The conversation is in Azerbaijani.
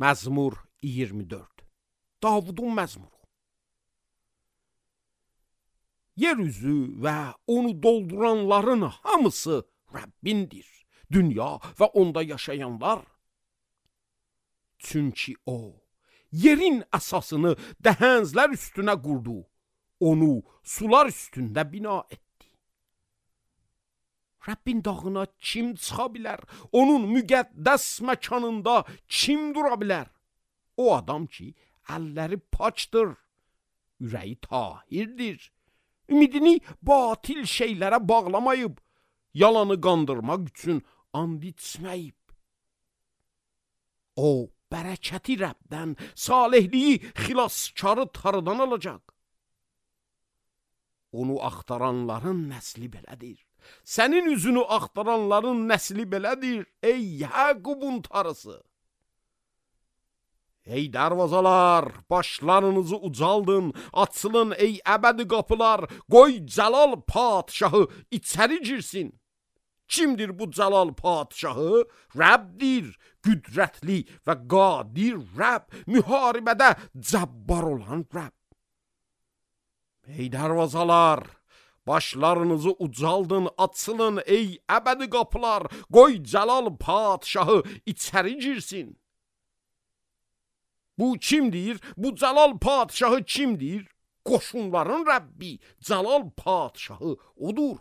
Məzmur 24. Davudun məzmuru. Yer üzü və onu dolduranların hamısı Rəbbindir. Dünya və onda yaşayanlar. Çünki o, yerin əsasını dəhəzlər üstünə qurdu. Onu sular üstündə bina etdi. Rəbbin dağına kim çıxa bilər? Onun müqəddəs məkanında kim dura bilər? O adam ki, əlləri paçdır, ürəyi tahirdir, ümidini batil şeylərə bağlamayıb, yalanı qandırmaq üçün and içməyib. O, bərəkəti Rəbdən, salihliyi xilaskarı tarıdan alacaq. Onu axtaranların nəsli belədir. Sənin üzünü axtaranların nəsli belədir, ey Yaqubun tarısı. Ey darvazalar, başlarınızı ucaldın, açılın ey əbədi qapılar, qoy Cəlal padşahı içəri girsin. Kimdir bu Cəlal padşahı? Rəbbdir, qüdrətli və qadir Rəbb, müharibədə cəbbar olan Rəbb. Ey darvazalar, başlarınızı ucaldın, açılın ey əbədi qapılar, qoy Cəlal padşahı içəri girsin. Bu kimdir? Bu Cəlal padşahı kimdir? Qoşunların Rəbbi, Cəlal padşahı odur.